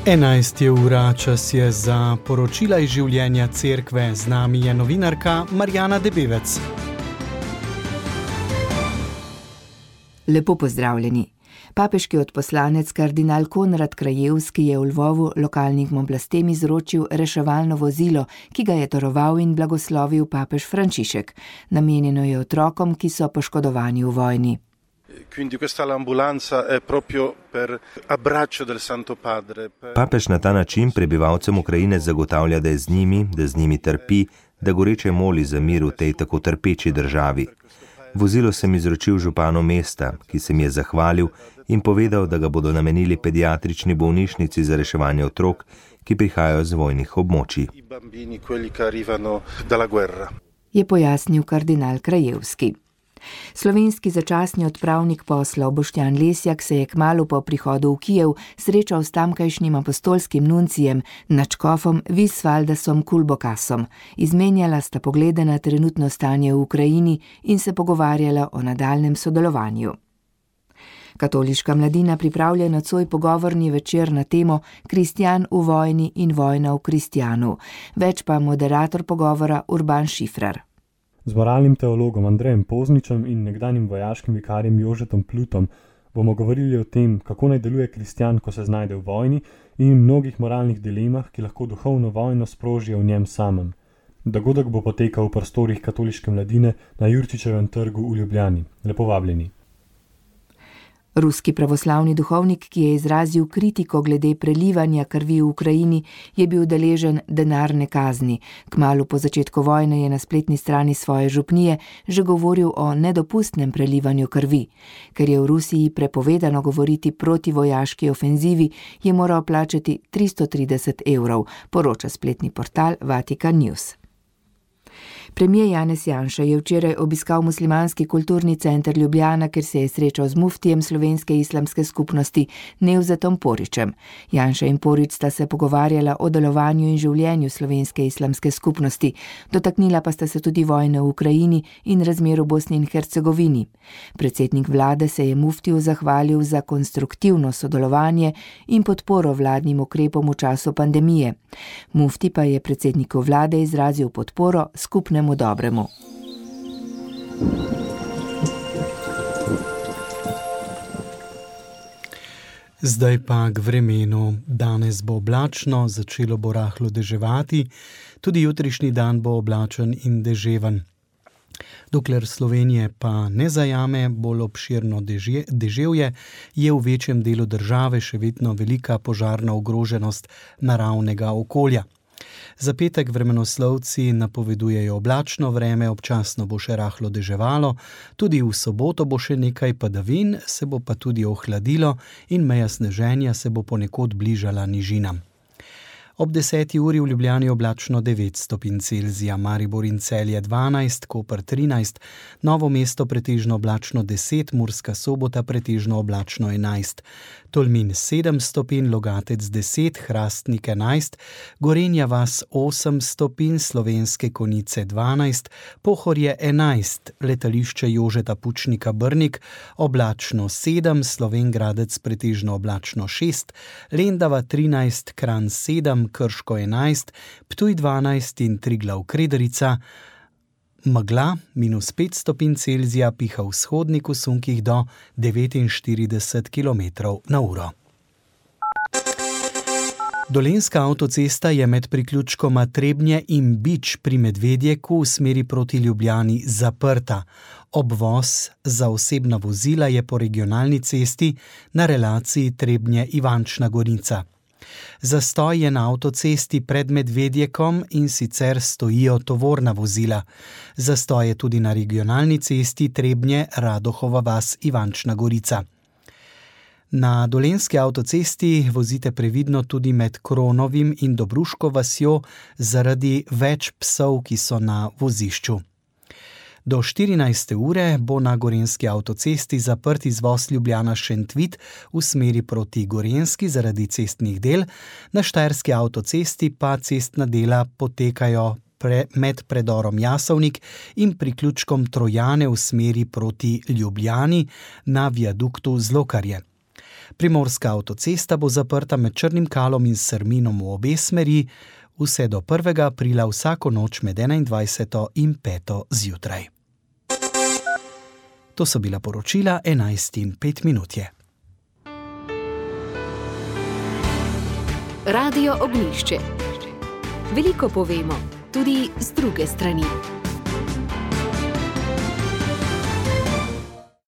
11 ura, čas je za poročila iz življenja cerkve. Z nami je novinarka Marjana Debevec. Lepo pozdravljeni. Papeški odposlanec kardinal Konrad Krajewski je v Lvovu lokalnim oblastem izročil reševalno vozilo, ki ga je daroval in blagoslovil papež Frančišek. Namenjeno je otrokom, ki so poškodovani v vojni. Quindi questa l'ambulanza è proprio per abbraccio del Santo Padre. Papež na ta način prebivalcem Ukrajine zagotavlja, da je z njimi trpi, da goreče moli za mir v tej tako trpeči državi. Vozilo sem izročil županu mesta, ki se mi je zahvalil in povedal, da ga bodo namenili pediatrični bolnišnici za reševanje otrok, ki prihajajo z vojnih območij. Je pojasnil kardinal Krajewski. Slovenski začasni odpravnik poslov Boštjan Lesjak se je kmalu po prihodu v Kijev srečal s tamkajšnjim apostolskim nuncijem, nadškofom Visvaldasom Kulbokasom. Izmenjala sta poglede na trenutno stanje v Ukrajini in se pogovarjala o nadaljnem sodelovanju. Katoliška mladina pripravlja nocoj pogovorni večer na temo Kristjan v vojni in vojna v kristjanu. Več pa moderator pogovora Urban Šifrar. Z moralnim teologom Andrejem Pozničem in nekdanjim vojaškim vikarjem Jožetom Plutom bomo govorili o tem, kako naj deluje kristjan, ko se znajde v vojni, in mnogih moralnih dilemah, ki lahko duhovno vojno sprožijo v njem samem. Dogodek bo potekal v prostorih katoliške mladine na Jurčičevem trgu v Ljubljani. Lepo vabljeni. Ruski pravoslavni duhovnik, ki je izrazil kritiko glede prelivanja krvi v Ukrajini, je bil deležen denarne kazni. Kmalu po začetku vojne je na spletni strani svoje župnije že govoril o nedopustnem prelivanju krvi. Ker je v Rusiji prepovedano govoriti proti vojaški ofenzivi, je moral plačati 330 €, poroča spletni portal Vatikan News. Premijer Janez Janša je včeraj obiskal muslimanski kulturni center Ljubljana, kjer se je srečal z muftijem slovenske islamske skupnosti Nevzetom Porićem. Janša in Porić sta se pogovarjala o delovanju in življenju slovenske islamske skupnosti. Dotaknila pa sta se tudi vojne v Ukrajini in razmer v Bosni in Hercegovini. Predsednik vlade se je muftiju zahvalil za konstruktivno sodelovanje in podporo vladnim ukrepom v času pandemije. Mufti pa je predsedniku vlade izrazil podporo skupnemu dobremu. Zdaj pa k vremenu. Danes bo oblačno, začelo bo rahlo deževati, tudi jutrišnji dan bo oblačen in deževen. Dokler Slovenije pa ne zajame bolj obširno deževje, je v večjem delu države še vedno velika požarna ogroženost naravnega okolja. Za petek vremenoslovci napovedujejo oblačno vreme, občasno bo še rahlo deževalo, tudi v soboto bo še nekaj padavin, se bo pa tudi ohladilo in meja sneženja se bo ponekod bližala nižinam. Ob 10. uri v Ljubljani oblačno 9 stopinj Celzija, Maribor in Celje 12, Koper 13, Novo mesto pretežno oblačno 10, Murska Sobota pretežno oblačno 11, Tolmin 7 stopinj, Logatec 10, Hrastnik 11, Gorenja vas 8 stopinj, Slovenske Konjice 12, Pohorje 11, Letališče Jožeta Pučnika Brnik oblačno 7, Slovenj Gradec pretežno oblačno 6, Lendava 13, Kranj 7, Krško 11, Ptuj 12 in Triglav Krederica. Megla -5 stopinj Celzija, piha vzhodnik v sunkih do 49 km/h. Dolenjska avtocesta je med priključkoma Trebnje in Bič pri Medvedjeku v smeri proti Ljubljani zaprta. Obvoz za osebna vozila je po regionalni cesti na relaciji Trebnje-Ivančna Gorica. Zastoj je na avtocesti pred Medvedjekom in sicer stojijo tovorna vozila. Zastoj je tudi na regionalni cesti Trebnje-Radohova vas-Ivančna Gorica. Na Dolenjski avtocesti vozite previdno tudi med Kronovim in Dobruško vasjo zaradi več psov, ki so na vozišču. Do 14. ure bo na Gorenjski avtocesti zaprt izvoz Ljubljana-Šentvid v smeri proti Gorenjski zaradi cestnih del, na Štajerski avtocesti pa cestna dela potekajo med predorom Jasovnik in priključkom Trojane v smeri proti Ljubljani na viaduktu Zlokarje. Primorska avtocesta bo zaprta med Črnim Kalom in Srminom v obe smeri, vse do 1. aprila vsako noč med 21. in 5. zjutraj. To so bila poročila 11:05. Radio Ognjišče. Veliko povemo, tudi z druge strani.